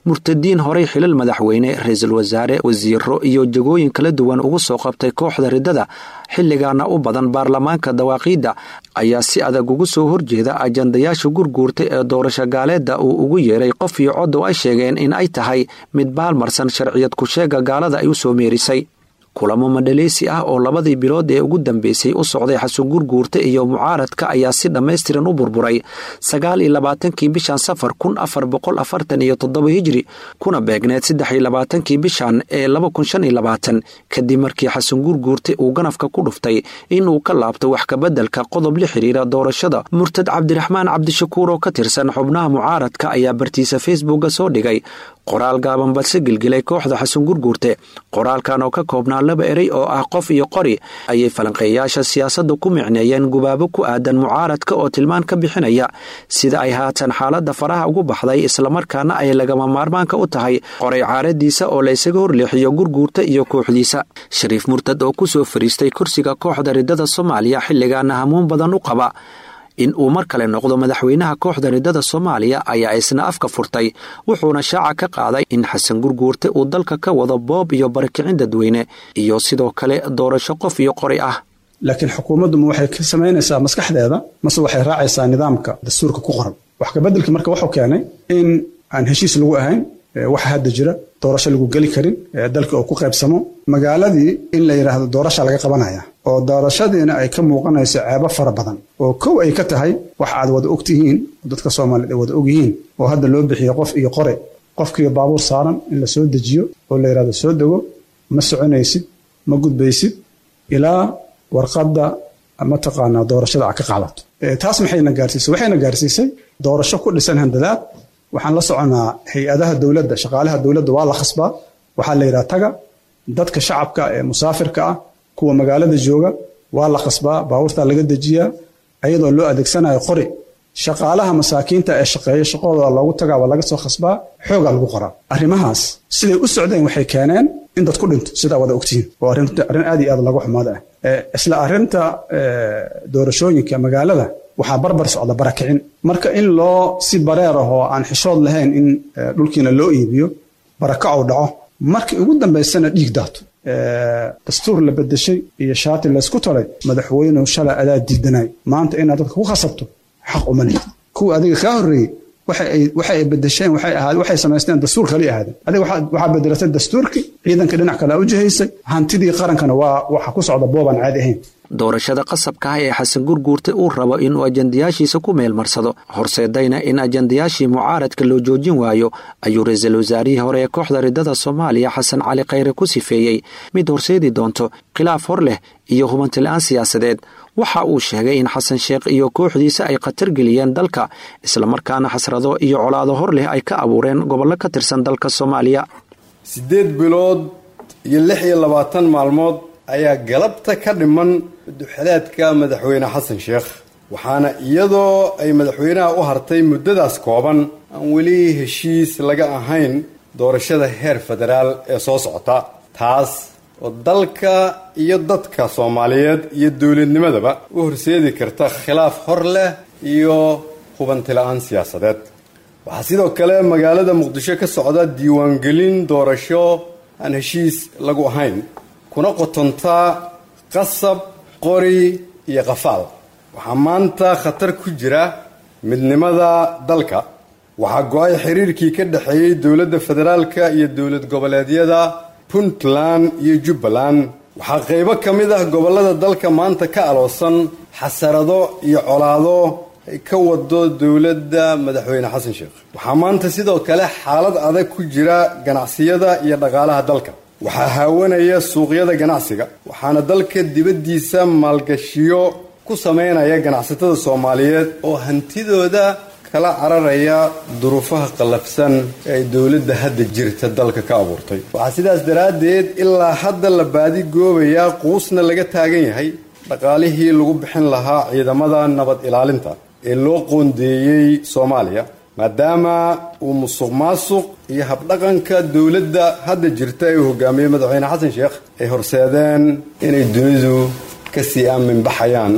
murtadiin horey xilal madaxweyne, ra-iisul wasaare, wasiiro iyo jagooyin kala duwan ugu soo qabtay kooxda riddada, xilligaana u badan baarlamaanka dawaaqiidda, ayaa si adag ugu soo horjeeda ajandayaasha Gurguurta ee doorasho gaaleedda uu ugu yeeray qof iyo cod, oo ay sheegeen in ay tahay mid baalmarsan sharciyad ku-sheega gaalada ay u soo meerisay. Kulamo madhaleysi ah oo labadii bilood ee ugu dambeysay u socday Xasan Gurguurta iyo mucaaradka ayaa si dhammaystiran u burburay 29kii bishan Safar 1447 hijri, kuna beegneed 23kii bishan ee 2025, kadib markii Xasan Gurguurte uu ganafka ku dhuftay inuu ka laabto wax kabeddelka qodob la xiriira doorashada. Murtad Cabdiraxmaan Cabdishakuur oo ka tirsan xubnaha mucaaradka ayaa bartiisa Facebooka soo dhigay qoraal gaaban balse gilgilay kooxda Xasan Gurguurte. Qoraalkan oo ka koobnaa laba erey oo ah qof iyo qori ayay falanqeeyayaasha siyaasadda ku micneeyeen gubaabo ku aadan mucaaradka oo tilmaan ka bixinaya sida ay haatan xaaladda faraha ugu baxday, islamarkaana ay lagama maarmaanka u tahay qoray caaradiisa oo la isaga horleexiyo Gurguurta iyo kooxdiisa. Shariif Murtad oo kusoo fariistay kursiga kooxda riddada Soomaaliya, xilligaana hamuun badan u qaba in uu mar kale noqdo madaxweynaha kooxda riddada Soomaaliya, ayaa isna afka furtay, wuxuuna shaaca ka qaaday in Xasan Gurguurte uu dalka ka wado boob iyo barakicin dadweyne iyo sidoo kale doorasho qof iyo qori ah. Laakiin xukuumaddu ma waxay ka samaynaysaa maskaxdeeda mase waxay raacaysaa nidaamka dastuurka ku qoran? Wax kabeddelka marka wuxuu keenay in aan heshiis lagu ahayn waxa hadda jira, doorasho lagu geli karin, dalka oo ku qaybsamo, magaaladii in la yidhaahdo doorasha laga qabanaya. Oo doorashadiina ay ka muuqanayso ceebo fara badan, oo kow ay ka tahay wax aad wada ogtihiin, dadka Soomaaliyeed ay wada ogyihiin, oo hadda loo bixiyo qof iyo qore, qofkiiyo baabuur saaran in la soo dejiyo oo la yidhahdo soo dego, ma soconaysid, ma gudbaysid ilaa warqadda mataqaanaa doorashada aad ka qaadato. Taas maxayna gaarsiisay? Waxayna gaarsiisay doorasho ku dhisan handadaad. Waxaan la soconaa hay-adaha dowladda, shaqaalaha dowladda waa la khasbaa, waxaa la yidhaha taga. Dadka shacabka ee musaafirka ah, kuwa magaalada jooga, waa la khasbaa, baabuurtaa laga dejiyaa ayadoo loo adeegsanayo qori. Shaqaalaha masaakiinta ee shaqeeya shaqadooda loogu tagaa, waa laga soo khasbaa, xoogaa lagu qoraa. Arrimahaas siday u socdeen waxay keeneen in dad ku dhinto, sidaa wada ogtihiin, oo arrin aad iyo aad laga xumaada ah. Isla arrinta doorashooyinka magaalada waxaa barbar socda barakicin, marka in loo si bareer ah oo aan xishood lahayn in dhulkiina loo iibiyo, barakacow dhaco, markii ugu dambaysana dhiig daato, dastuur la bedeshay iyo shaati laysku taray. Madaxweynuhu, shalay adaa diidanay, maanta inaad dadka ku khasabto xaq uma lihid. Kuwa adiga kaa horreeyey waxa ay bedesheen waxay ahaad waxay samaysteen dastuur kali ahaadeen. Adiga waxaa bedelatay dastuurkii, ciidanka dhinac kale u jihaysay, hantidii qarankana waa waxa ku socda boobaan caadi ahayn. Doorashada qasabka ah ee Xasan Gurguurte uu rabo inuu ajandayaashiisa ku meelmarsado, horseedayna in ajandayaashii mucaaradka loo joojin waayo, ayuu ra-iisul wasaarihii hore ee kooxda ridada Soomaaliya Xasan Cali Khayre ku sifeeyey mid horseedi doonto khilaaf hor leh iyo hubanti la-aan siyaasadeed. Waxa uu sheegay in Xasan Sheekh iyo kooxdiisa ay khatar geliyeen dalka, islamarkaana xasrado iyo colaado hor leh ay ka abuureen gobollo ka tirsan dalka Soomaaliya. 8 bilood iyo 26 maalmood ayaa galabta ka dhiman duxalaadka madaxweyne Xasan Sheekh, waxaana iyadoo ay madaxweynaha u hartay muddadaas kooban aan weli heshiis laga ahayn doorashada heer federaal ee soo socota, taas oo dalka iyo dadka Soomaaliyeed iyo dowladnimadaba u horseedi karta khilaaf hor leh iyo hubanti la-aan siyaasadeed. Waxaa sidoo kale magaalada Muqdisho ka socda diiwaangelin doorasho aan heshiis lagu ahayn, kuna qotontaa qasab, qori iyo qafaal. Waxaa maanta khatar ku jira midnimada dalka. Waxaa go-ay xiriirkii ka dhexeeyey dowladda federaalka iyo dowlad goboleedyada Puntland iyo Jubbaland. Waxaa qaybo ka mid ah gobollada dalka maanta ka aloosan xasarado iyo colaado ay ka wado dowladda madaxweyne Xasan Sheekh. Waxaa maanta sidoo kale xaalad adag ku jira ganacsiyada iyo dhaqaalaha dalka. Waxaa haawanaya suuqyada ganacsiga, waxaana dalka dibaddiisa maalgashiyo ku sameynaya ganacsatada Soomaaliyeed oo hantidooda kala cararaya duruufaha qallafsan ee ay dowladda hadda jirta dalka ka abuurtay. Waxaa sidaas daraaddeed ilaa hadda la baadi goobayaa, quusna laga taagan yahay, dhaqaalihii lagu bixin lahaa ciidamada nabad ilaalinta ee loo qoondeeyey Soomaaliya, maadaama uu musuq maasuq iyo habdhaqanka dowladda hadda jirta ee uu hogaamiyey madaxweyne Xasan Sheekh ay horseedeen inay dunidu ka sii aamin baxayaan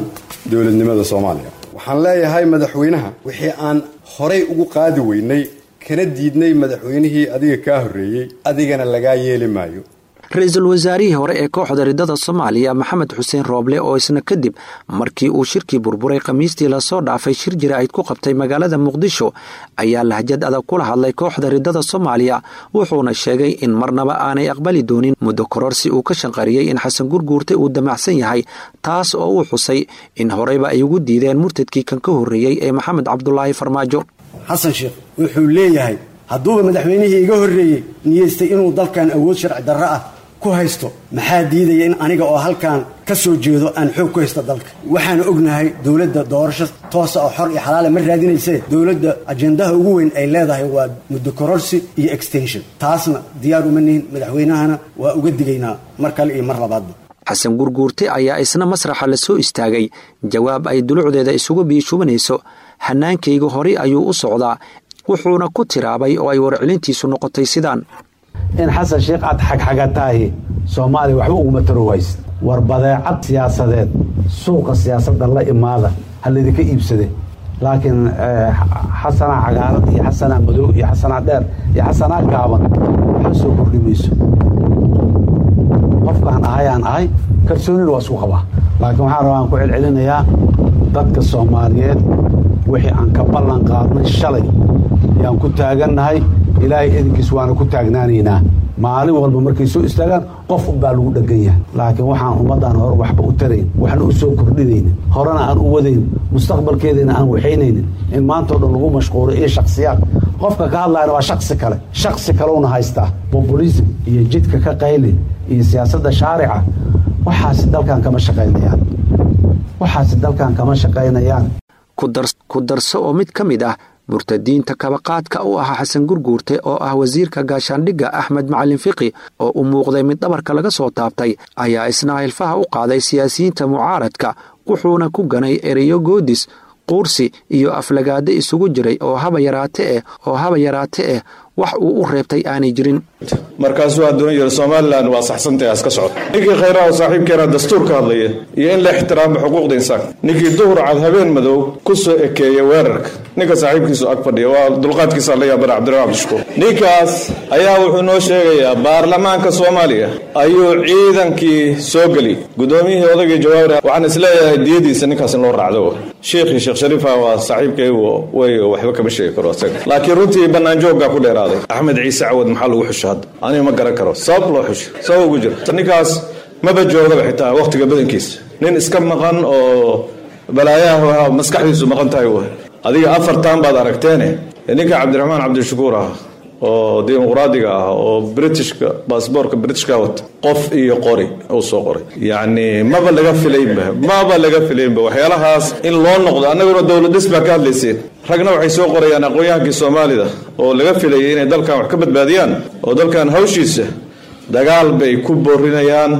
dowladnimada Soomaaliya. Waxaan leeyahay madaxweynaha, wixii aan horay ugu qaadi weynay kana diidnay madaxweynihii adiga kaa horreeyey, adigana lagaa yeeli maayo. Ra-iisul wasaarihii hore ee kooxda ridada Soomaaliya Maxamed Xuseen Rooble, oo isna kadib markii uu shirkii burburay Khamiistii lasoo dhaafay shir jaraa'id ku qabtay magaalada Muqdisho, ayaa lahjad adag kula hadlay kooxda ridada Soomaaliya, wuxuuna sheegay in marnaba aanay aqbali doonin muddo kororsi uu ka shanqariyey in Xasan Gurguurte uu damacsan yahay, taas oo uu xusay in horeyba ay ugu diideen murtadkii kan ka horreeyey ee Maxamed Cabdulaahi Farmaajo. Xasan Sheekh wuxuu leeyahay, hadduuba madaxweynihii iga horreeyey niyeystay inuu dalkan awood sharci darro ah ku haysto, maxaa diidaya in aniga oo halkan ka soo jeedo aan xoog ku haysto dalka? Waxaanu ognahay dowladda doorasho toosa oo xor iyo xalaala ma raadinaysee, dowladda ajendaha ugu weyn ay leedahay waa muddo kororsi iyo extension. Taasna diyaar uma nihin, madaxweynahana waa uga digaynaa mar kale iyo mar labaadba. Xasan Gurguurte ayaa isna masraxa la soo istaagay jawaab ay dulucdeeda isugu biishubanayso "Hanaankayga horey ayuu u socdaa", wuxuuna ku tiraabay oo ay warcelintiisu noqotay sidaan: In Xasan Sheekh aad xagxagataahi Soomaaliya waxba uguma taro waysid. War badeecad siyaasadeed suuqa siyaasadda la imaada, ha laydinka iibsade, laakiin xasanaa cagaaran iyo xasanaa madow iyo xasanaa dheer iyo xasanaa gaaban waxba soo kordhi mayso. Qofkaan ahay aan ahay, kalsoonina waa isku qabaa, laakiin waxaan rabaa aan ku celcelinayaa dadka Soomaaliyeed, wixii aan ka ballan qaadnay shalay yaan ku taagannahay, Ilaahay idinkiis waana ku taagnaanaynaa. Maalin walba markay soo istaagaan qof unbaa lagu dhegan yahay, laakiin waxaan ummaddan hore waxba u tarayn, waxna u soo kordhinaynin, horena aan u wadayn, mustaqbalkeedana aan waxaynaynin, in maantao dhan lagu mashquulo iyo shaksiyaad. Qofka ka hadlayana waa shaksi kale, shaksi kalewna haystaa. Populism iyo jidka ka qayli iyo siyaasadda shaarica, waxaasi dalkan kama shaqaynayaan, waxaasi dalkan kama shaqaynayaan. Ku darso oo mid ka mid ah murtadiinta kabaqaadka u ahaa Xasan Gurguurte oo ah wasiirka gaashaandhigga Axmed Macalin Fiqi oo u muuqday mid dhabarka laga soo taabtay, ayaa isna hilfaha u qaaday siyaasiyiinta mucaaradka, wuxuuna ku ganay ereyo goodis, quursi iyo aflagaado isugu jiray oo haba yaraate eh wax uu u reebtay aanay jirin. Markaasuu hadduna yiri Somalilan waa saxsantahay, haska socota. Ninkii khayraha saaxiibkeena dastuur ka hadlaya iyo in la ixtiraamo xuquuqda insaanka, ninkii duhur cad habeen madow ku soo ekeeya weerarka ninka saaxiibkiisu ag fadhiya, waa dulqaadkiisa la yaabana Cabdiraxmaan Cabdishakuur. Ninkaas ayaa wuxuu noo sheegayaa baarlamaanka Soomaaliya ayuu ciidankii soo geli gudoomiyihii odaygii Jawaari. Waxaan isleeyahay diyadiisa ninkaas in loo raacdo. Sheekhii Sheekh Shariifa waa saaxiibkaygu way, waxba kama sheegi karo asaga, laakiin runtii bannaan jooggaa ku dheeraaday. Axmed Ciise Cawad maxaa lagu xusho hadda? Aniga ma garan karo sabab loo xusho, sabab ugu jira ninkaas maba joogaba xitaa wakhtiga badankiisa, nin iska maqan oo balaayaha maskaxdiisu maqan tahay w. Adiga afartan baad aragteene, ninka Cabdiraxmaan Cabdishakuur ah oo dimuqraadiga ah oo Britishka baasboorka Britishka wata, qof iyo qori uu soo qoray, yacni maba laga filaynba, maba laga filaynba waxyaalahaas in loo noqdo. Annaguna dowlad dhis baa ka hadlayseen, ragna waxay soo qorayaan aqoon-yahankii Soomaalida oo laga filayay inay dalkan wax ka badbaadiyaan oo dalkan hawshiisa dagaal bay ku boorinayaan.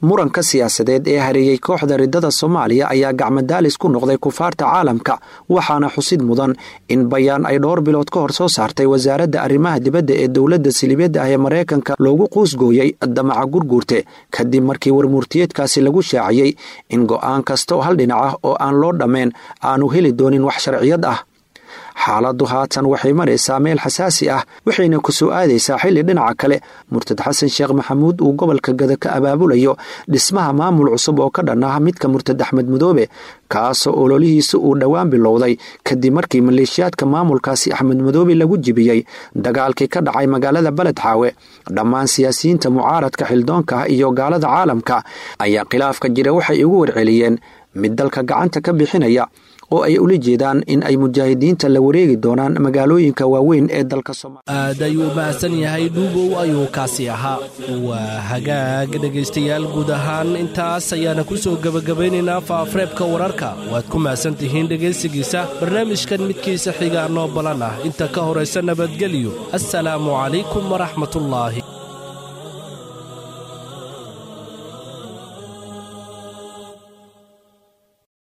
Muranka siyaasadeed ee hareeyey kooxda riddada Soomaaliya ayaa gacmadaalis ku noqday kufaarta caalamka, waxaana xusid mudan in bayaan ay dhowr bilood ka hor soo saartay wasaaradda arrimaha dibadda ee dowladda silibyadda ah ee Maraykanka loogu quusgooyey damaca Gurguurte, kadib markii warmurtiyeedkaasi lagu shaaciyey in go'aan kasta oo hal dhinac ah oo aan loo dhammayn aanu heli doonin wax sharciyad ah. Xaaladdu haatan waxay maraysaa meel xasaasi ah, waxayna ku soo aadaysaa xilli dhinaca kale murtad Xasan Sheekh Maxamuud uu gobolka Gada ka abaabulayo dhismaha maamul cusub oo ka dhan ah midka murtad Axmed Madoobe, kaasoo ololihiisa uu dhowaan bilowday kadib markii maleeshiyaadka maamulkaasi Axmed Madoobe lagu jibiyey dagaalkii ka dhacay magaalada Beled Xaawe. Dhammaan siyaasiyiinta mucaaradka xildoonka ah iyo gaalada caalamka ayaa khilaafka jira waxay ugu warceliyeen mid dalka gacanta ka bixinaya, oo ay ula jeedaan in ay mujaahidiinta la wareegi doonaan magaalooyinka waaweyn ee dalka Soomaaliya. Aad ayuu u mahadsan yahay, Dhuubow ayuu kaasi ahaa. Waa hagaag, dhegaystayaal, guud ahaan intaas ayaana ku soo gebagabaynaynaa faafareebka wararka. Waad ku mahadsan tihiin dhegaysigiisa barnaamijkan. Midkiisa xigaa noo balan ah, inta ka horaysa nabadgelyo. Assalaamu calaykum waraxmatullaahi.